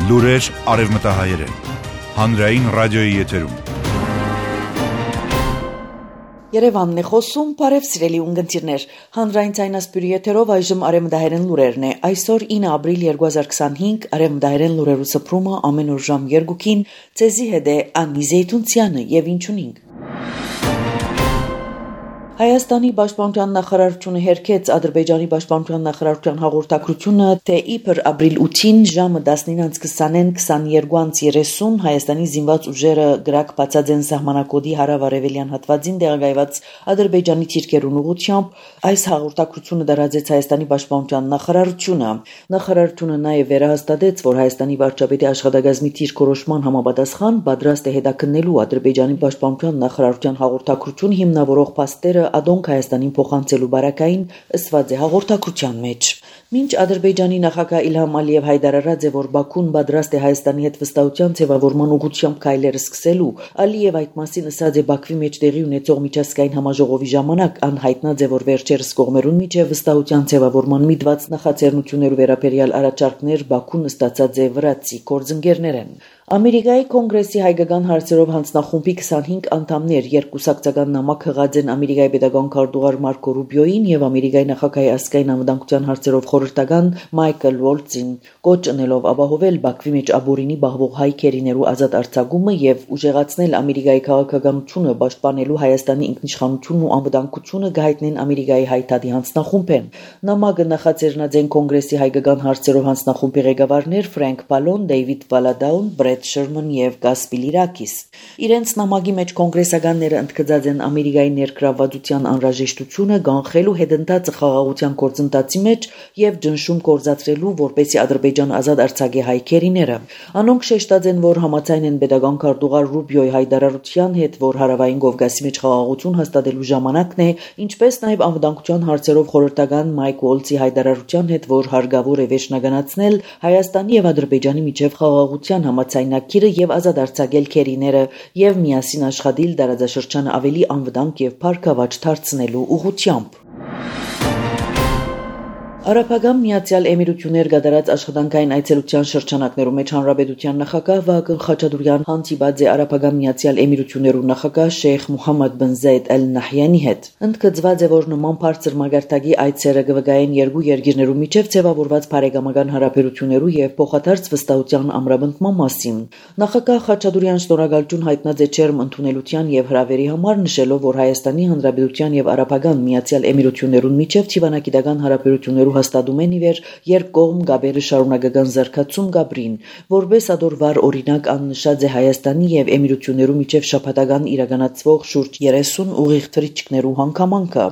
Լուրեր արևմտահայերեն, հանրային ռադիոյի եթերում։ Երևանն է խոսում, բարև սիրելի ունգընտիրներ, հանրային ցայնասպյուրի եթերով այժմ արևմտահայերեն լուրերն է, այսօր 9 ապրիլ 2025, արևմտահայերեն լուրերու սփռումը ամեն օր ժամ 2-ին, ցեզի հետ է Անի Զեյթունցյանը եւ ինչ ունինք։ Հայաստանի պաշտպանության նախարարությունը հերքեց Ադրբեջանի պաշտպանության նախարարության հաղորդակցությունը, թե իբր ապրիլ 8-ին ժամը 19:20-ին 22:30 Հայաստանի զինված ուժերը գրակ բացած են սահմանակոդի հարավ-արևելյան հատվածին տեղակայված Ադրբեջանի թիրքերուն ուղղությամբ, այս հաղորդակցությունը դրաձեց Հայաստանի պաշտպանության նախարարությունը։ Նախարարությունը նաև վերահաստատեց, որ Հայաստանի վարչապետի աշխատակազմի թիրքորոշման համապատասխան պատրաստ է հետաքննելու Ադրբեջանի պաշտպանության նախարարության հաղորդակցությունը հիմնավորող փաստերը Ադոնք Հայաստանին փոխանցելու բարակային ըսված է հաղորդակցության մեջ։ Մինչ Ադրբեջանի նախագահ Իլհամ Ալիև հայտարարած է, որ Բաքուն պատրաստ է Հայաստանի հետ վստահության ձևավորման ուղղությամբ քայլեր սկսելու, Ալիև այդ մասին ասած է Բաքվի մեջ տեղի ունեցող միջազգային համաժողովի ժամանակ, անհայտնած է, որ վերջերս կողմերուն միջև վստահության ձևավորման միտված նախաձեռնություններու վերաբերյալ առաջարկներ Բաքուն ստացած է վրացի գործընկերներեն։ Ամերիկայի կոնգրեսի հայկական հարցերով հանձնախումբի 25 անդամներ երկուսակցական նամակ հղած են Ամերիկայի պետական քարտուղար Մարկո Ռուբիոին եւ Ամերիկայի նախագահի ազգային անվտանգության հարցերով խորհրդական Մայքլ Վոլցին, կոչ ընելով ապահովել Բաքվի մեջ ապօրինի բախվող հայ քերիներու ազատ արձակումը եւ ուժեղացնել Ամերիկայի քաղաքականությունը պաշտպանելու Հայաստանի ինքնիշխանությունն ու անվտանգությունը գահիտնեն Ամերիկայի հայտարարի հանձնախումբեն։ Նամակը նախաձեռնած են կոնգրեսի հայկական հարցերով հանձնախումբի ղեկավարներ Ֆրենկ Պալոն, Դեյվիդ Վալադաուն, Շերման եւ Գասպիլիրակիս։ Իրենց նամակի մեջ կոնգրեսականները ընդգծած են Ամերիկայի ներգրավվածության անհրաժեշտությունը կանխելու հետընթացը խաղաղության գործընթացի մեջ եւ ճնշում կործածրելու, որպեսզի Ադրբեջան ազատ արձակի հայ քերիները։ Անոնք շեշտած են, որ համաձայն են պետական քարտուղար Ռուբիոյի հայտարարության հետ, որ հարավային Կովկասի մեջ խաղաղություն հաստատելու ժամանակն է, ինչպես նաեւ անվտանգության հարցերով խորհրդական Մայք Ուոլցի հայտարարության հետ, որ հարկավոր է վերջնականացնել Հայաստանի եւ Ադրբեջանի միջև խաղաղության համաձայնագիրը եւ ազատ արձակել քերիները եւ միասին աշխատել տարածաշրջանը ավելի անվտանգ եւ փառքավաճ դարձնելու ուղղությամբ։ Արաբական Միացյալ Էմիրություններ կատարած աշխատանքային այցելության շրջանակներում մեջ հանրապետության նախագահ Վահագն Խաչատուրյան հանդիպած է Արաբական Միացյալ Էմիրություններու նախագահ Շեյխ Մուհամմադ բն Զայդ Ալ Նահյանի հետ։ Ընդգծված է, որ նման բարձր մագարտակի այցերը կվկայեն երկու երկիրներու միջև ձևավորված բարեկամական հարաբերություններու եւ փոխադարձ վստահության ամրապնդման մասին։ Նախագահ Խաչատուրյան շնորհակալություն հայտնած է չերմ ընդունելության եւ հրավերի համար, նշելով, որ Հայաստանի Հանրապետության եւ Արաբական Միացյալ Էմիրություններուն միջև ճիվանագիտական հարաբերություններու հաստատում են իվեր երկկողմ գաբերը շարունակական զարգացում գաբրին, որպես ադորվար օրինակ աննշած է Հայաստանի եւ Էմիրություններու միջև շաբաթական իրականացվող շուրջ 30 ուղիղ թռիչքներու հանգամանքը։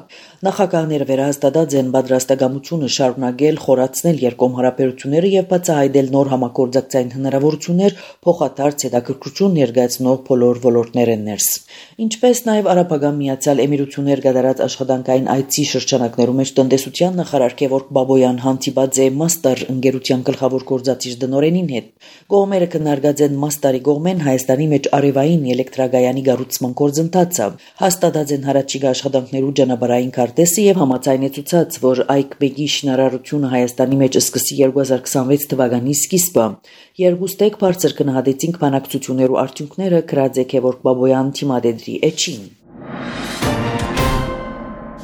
Նախագահները վերահաստատած են պատրաստակամությունը շարունակել խորացնել երկկողմ հարաբերությունները եւ բացահայտել նոր համագործակցային հնարավորություններ փոխադարձ հետաքրքրություն ներկայացնող բոլոր ոլորտներեն ներս։ Ինչպես նաեւ Արաբական Միացյալ Էմիրություններ կատարած աշխատանքային այցի շրջանակներում մեջ տնտեսության նախարար Գևորգ Բաբոյան հանդիպած է Մաստար ընկերության գլխավոր գործադիր դնորենին հետ։ Կողմերը քննարկած են Մաստարի կողմեն Հայաստանի մեջ արևային էլեկտրագայանի կառուցման գործընթացը, հաստատած են հարաճիգա աշխատանքներու ճանապարհային քարտեզը եւ համաձայնեցուցած, որ այգբեգի շինարարությունը Հայաստանի մեջ սկսի 2026 թվականի սկիզբը։ Երկուստեք բարձր գնահատեցինք բանակցություններու արդյունքները, գրած է Գևորգ Բաբոյան թիմադեդրի էջին։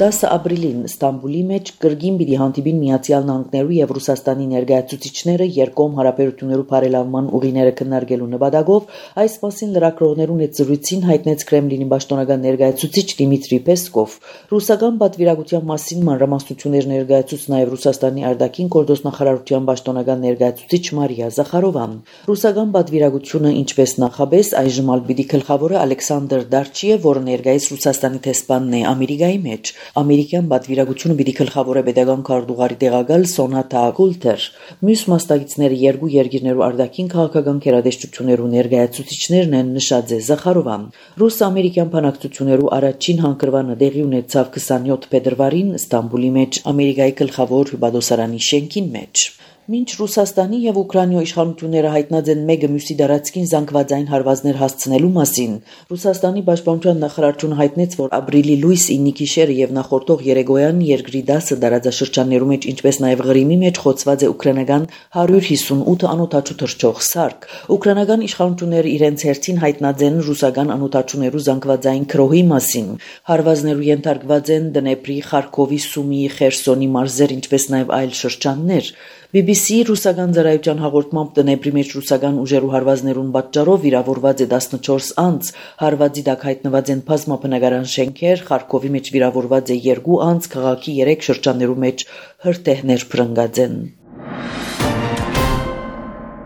10 ապրիլին Ստամբուլի մեջ կրկին պիտի հանդիպին Միացյալ Նահանգներու եւ Ռուսաստանի ներկայացուցիչները երկկողմ հարաբերություններու բարելավման ուղիները քննարկելու նպատակով, այս մասին լրագրողներուն հետ զրույցին հայտնեց Կրեմլինի պաշտոնական ներկայացուցիչ Դիմիտրի Պեսկով։ Ռուսական պատվիրակության մասին մանրամասնություններ ներկայացուց նաեւ Ռուսաստանի արտաքին գործոստնախարարության պաշտոնական ներկայացուցիչ Մարիա Զախարովան։ Ռուսական պատվիրակությունը, ինչպես նախաբես, այժմ ալ պիտի գլխավորը Ալեքսանդր Դարչիև, որը ներկայիս Ռուսաստանի տեսփանն է Ամերիկայի մեջ։ Ամերիկյան պատվիրակությունը պիտի գլխավորը պետական քարտուղարի տեղակալ Սոնատա Կուլտեր։ Մյուս մասնակիցները երկու երկիրներու արտաքին քաղաքական գերատեսչություններու ներկայացուցիչներն են, նշած է Զախարովան։ Ռուս-ամերիկյան բանակցություններու առաջին հանգրվանը տեղի ունեցավ 27 փետրվարին Ստամբուլի մեջ Ամերիկայի գլխավոր հյուպատոսարանի շենքին մեջ։ Մինչ Ռուսաստանի եւ Ուկրաինայի իշխանությունները հայտնած են մեկը մյուսի դարածքին զանգվածային հարվածներ հասցնելու մասին, Ռուսաստանի պաշտպանության նախարարությունը հայտնեց, որ ապրիլի լույս 9-ի գիշերը եւ նախորդող երեկոյան երկրի 10 տարածաշրջաններում մեջ, ինչպես նաեւ Ղրիմի մեջ խոցված է ուկրաինական 158 անօթաչու թռչող սարք։ Ուկրաինական իշխանությունները իրենց հերթին հայտնած են ռուսական անօթաչուներու զանգվածային քրոհի մասին։ Հարվածներու ենթարկված են Դնեպրի, Խարկովի, Սումիի, Խերսոնի մարզեր, ինչպես նաեւ այլ շրջաններ։ BBC ռուսական ծառայության հաղորդմամբ Դնեպրի մեջ ռուսական ուժերու հարվածներուն պատճառով վիրավորված է 14 անձ, հարվածի տակ հայտնված են բազմաբնակարան շենքեր, Խարկովի մեջ վիրավորված է 2 անձ, քաղաքի 3 շրջաններու մեջ հրթեհներ փրկած են։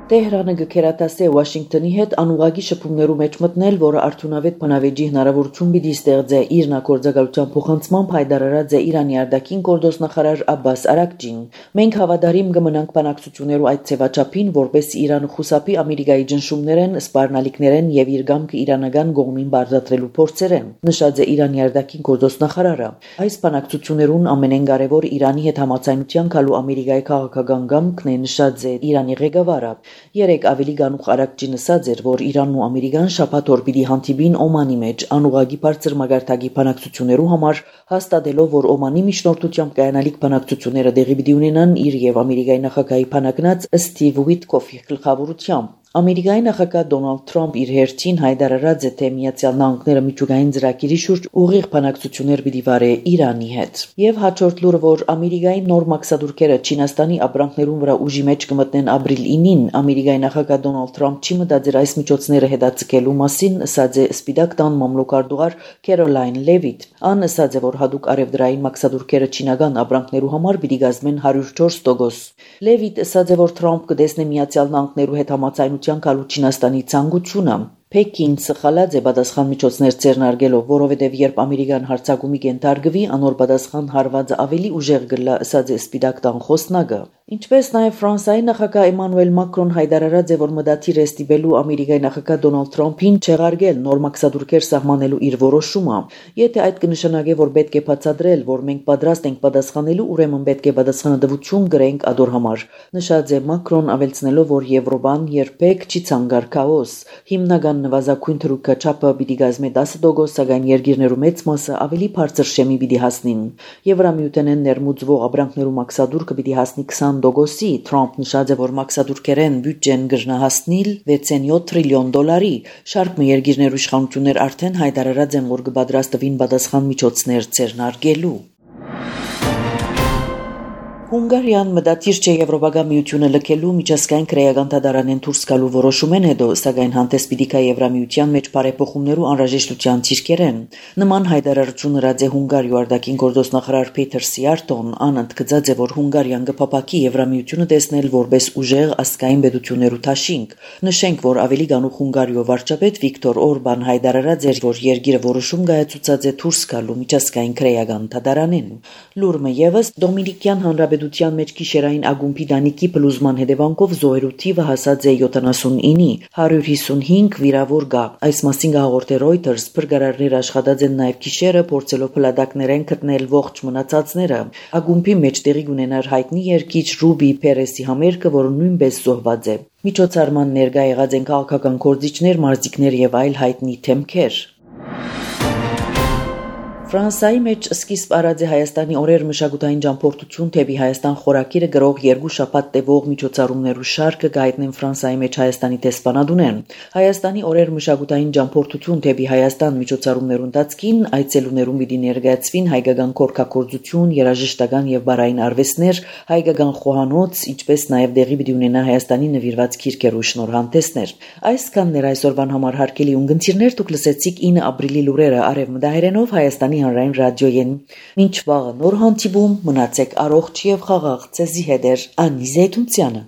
Տեհրանը գքերատասե Վաշինգտոնի հետ անուղագի շփումներու մեջ մտնել, որը արդյունավետ բանավեճի հնարավորություն պիտի ստեղծե իր նախորձակալության փոխանցմամբ հայտարարած է Իրանի արտաքին գործոստ նախարար Աբբաս Արաքչին։ Մենք հավատարիմ կմնանք բանակցություններու այդ ձևաչափին, որպեսզի Իրանը խուսափի Ամերիկայի ճնշումներեն, սպառնալիքներեն եւ իր գամքը իրանական կողմին բարձրացրելու փորձերեն, նշած է Իրանի արտաքին գործոստ նախարարը։ Այս բանակցություններուն ամենեն կարևոր Իրանի հետ համաձայնության գալու Ամերիկայի քաղաքական գամքն է, նշած է Իրանի ղեկավարը։ Երեք ավելի գանուխ Արաքչին ասաց էր, որ Իրանն ու Ամերիկան շաբաթ օր պիտի հանդիպին Օմանի մեջ անուղագի բարձր մագարտակի բանակցություններու համար, հաստատելով, որ Օմանի միջնորդությամբ կայանալիք բանակցությունները տեղի պիտի ունենան իր եւ Ամերիկայի նախագահի բանակնած Սթիվ Ուիտկոֆի գլխավորությամբ։ Ամերիկայի նախագահ Դոնալդ Թրամփ իր հերթին հայտարարած է, թե Միացյալ Նահանգները միջուկային ծրագիրի շուրջ ուղիղ բանակցություններ պիտի վարե Իրանի հետ։ Եվ հաջորդ լուրը, որ Ամերիկայի նոր մաքսադուրքերը Չինաստանի ապրանքներուն վրա ուժի մեջ կմտնեն ապրիլ 9-ին, Ամերիկայի նախագահ Դոնալդ Թրամփ չի մտածել այս միջոցները հետաձգելու մասին, ասաց է Սպիտակ տան մամլոքարտուղար Քերոլայն Լևիթ։ Ան ասաց է, որ հadoop արևդրային մաքսադուրքերը չինական ապրանքներու համար պիտի գազմեն 104%։ Լևիթ ասաց է, որ Թրամփ կտեսնի Միացյալ Նահանգներու հետ համաձայնության գալու Չինաստանի ցանկությունը։ Պեկին սխալած է պատասխան միջոցներ ձեռնարկելով, որովհետև երբ Ամերիկան հարձակումի կենթարկվի, անոր պատասխան հարվածը ավելի ուժեղ կլա, ասաց է Սպիտակ տան խոսնակը։ Ինչպես նաև Ֆրանսիայի նախագահ Էմանուել Մակրոն հայտարարած է, որ մտադիր է ստիպելու Ամերիկայի նախագահ Դոնալդ Թրամփին չեղարկել նոր մաքսադուրքեր սահմանելու իր որոշումը։ Եթե այդ կնշանակե, որ պետք է բացատրել, որ մենք պատրաստ ենք պատասխանելու, ուրեմն պետք է պատասխանատվություն կրենք ադոր համար, նշած է Մակրոն, ավելցնելով, որ Եվրոպան երբեք չի ցանկար քաոս։ Հիմնական նվազագույն թրուկը չափը պիտի գազմի 10%, սակայն երկիրներու մեծ մասը ավելի բարձր շեմի պիտի հասնին։ Եվրամիութենեն ներմուծվող ապրանքներու մաքսադուրքը պիտի հասնի 20%-ի։ Թրամփ նշած է, որ մաքսադուրքերեն բյուջեն կգրնահասնիլ 6.7 տրիլիոն դոլարի։ Շարք մը երկիրներու իշխանություններ արդեն հայտարարած են, որ կպատրաստվին պատասխան միջոցներ ձեռնարկելու։ Հունգարիան մտադիր չէ Եվրոպական միությունը լքելու միջազգային քրեական դատարանեն դուրս գալու որոշումեն հետո, սակայն հանդես պիտի գա Եվրամիության մեջ բարեփոխումներու անհրաժեշտության ցիրկերեն։ Նման հայտարարություն հրած է Հունգարիու արտաքին գործոստ նախարար Փեթեր Սիարտոն, ան ընդգծած է, որ Հունգարիան կփապակի Եվրամիությունը տեսնել որպես ուժեղ ազգային պետություններու դաշինք։ Նշենք, որ ավելի գանուխ Հունգարիու վարչապետ Վիկտոր Օրբան հայտարարած էր, որ երկիրը որոշում կայացուցած է դուրս գալու միջազգային քրեական դատարանեն։ Լուրը եւս Դոմինիկյան Հանրապետության մեջ գիշերային ագումբի դանիքի փլուզման հետևանքով զոհերու թիվը հասած է 79-ի, 155 վիրավոր կա։ Այս մասին հաղորդե Reuters, փրկարարներ աշխատած են նաև գիշերը, փորձելով փլատակներեն գտնել ողջ մնացածները։ Ագումբի մեջ տեղի ունենար հայտնի երգիչ Ռուբի Պերեսի համերգը, որը նույնպես զոհված է։ Միջոցառման ներկա եղած են քաղաքական գործիչներ, մարզիկներ եւ այլ հայտնի թեմքեր։ Ֆրանսիայի մեջ սկիզբ առած է Հայաստանի օրեր մշակութային ճամփորդություն թեպի Հայաստան խորակիրը գրող 2 շաբաթ տևող միջոցառումներու շարքը գայտնեն Ֆրանսիայի մեջ Հայաստանի տեսփանադունեն։ Հայաստանի օրեր մշակութային ճամփորդություն թեպի Հայաստան միջոցառումներու ընթացքին այցելուներուն պիտի ներկայացվին հայկական կորքագործություն, երաժշտական եւ բարային արվեստներ, հայկական խոհանոց, ինչպես նաեւ դեղի պիտի ունենա Հայաստանի նվիրված քիրքերու շնորհանդեսներ։ Այսքանն էր այսօրվան համար հարգելի ունգընտիրներ, դուք լսեցիք 9 ապրիլի լուրերը Արևմտահայերենով Հայաստանի հանրային ռադիոյեն։ Մինչ վաղը նոր հանդիպում, մնացեք առողջ եւ խաղաղ, ձեզի հետ է Անի Զեյթունցյանը։